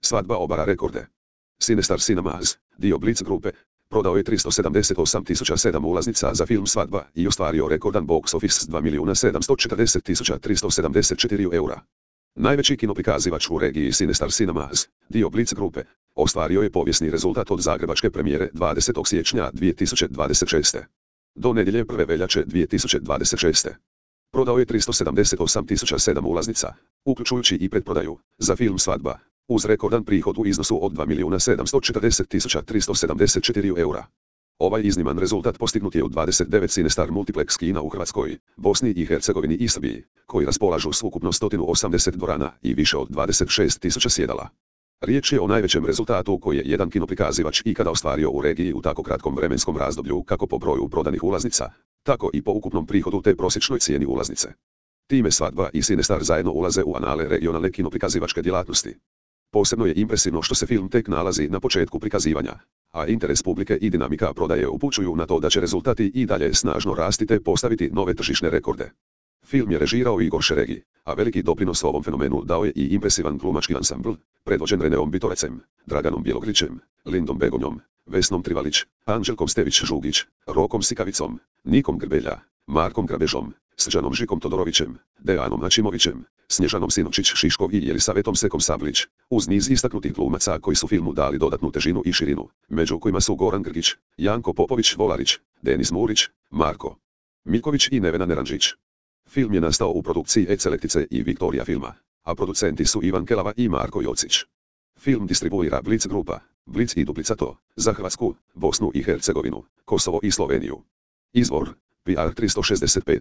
Svadba obara rekorde. Sinestar Cinemas, dio Blitz grupe, prodao je 378.007 ulaznica za film Svadba i ostvario rekordan box office s 2.740.374 eura. Najveći kinoprikazivač u regiji Sinestar Cinemas, dio Blitz grupe, ostvario je povijesni rezultat od zagrebačke premijere 20. siječnja 2026. do nedjelje 1. veljače 2026. Prodao je 378.007 ulaznica, uključujući i pretprodaju, za film Svadba, uz rekordan prihod u iznosu od 2.740.374 eura. Ovaj izniman rezultat postignut je u 29 Sinestar Multiplex kina u Hrvatskoj, Bosni i Hercegovini i Srbiji, koji raspolažu s ukupno 180 dvorana i više od 26.000 sjedala. Riječ je o najvećem rezultatu koji je jedan kinoprikazivač ikada ostvario u regiji u tako kratkom vremenskom razdoblju kako po broju prodanih ulaznica, tako i po ukupnom prihodu te prosječnoj cijeni ulaznice. Time Svadba i Sinestar zajedno ulaze u anale regionalne kinoprikazivačke djelatnosti. Posebno je impresivno što se film tek nalazi na početku prikazivanja, a interes publike i dinamika prodaje upućuju na to da će rezultati i dalje snažno rasti te postaviti nove tržišne rekorde. Film je režirao Igor Šeregi, a veliki doprinos ovom fenomenu dao je i impresivan glumački ansambl, predvođen Reneom Bitorecem, Draganom Bjelogrićem, Lindom Begonjom, Vesnom Trivalić, Anđelkom Stević-Žugić, Rokom Sikavicom, Nikom Grbelja, Markom Grabežom, Srđanom Žikom Todorovićem, Dejanom Načimovićem, Snježanom Sinočić-Šiškov i Jelisavetom Sekom Sablić, uz niz istaknutih glumaca koji su filmu dali dodatnu težinu i širinu, među kojima su Goran Grgić, Janko Popović-Volarić, Denis Murić, Marko Miljković i Nevena Neranžić. Film je nastao u produkciji Eclektice i Viktorija filma, a producenti su Ivan Kelava i Marko Jocić. Film distribuira Blitz grupa, Blitz i Duplicato, za Hrvatsku, Bosnu i Hercegovinu, Kosovo i Sloveniju. Izvor, PR 365.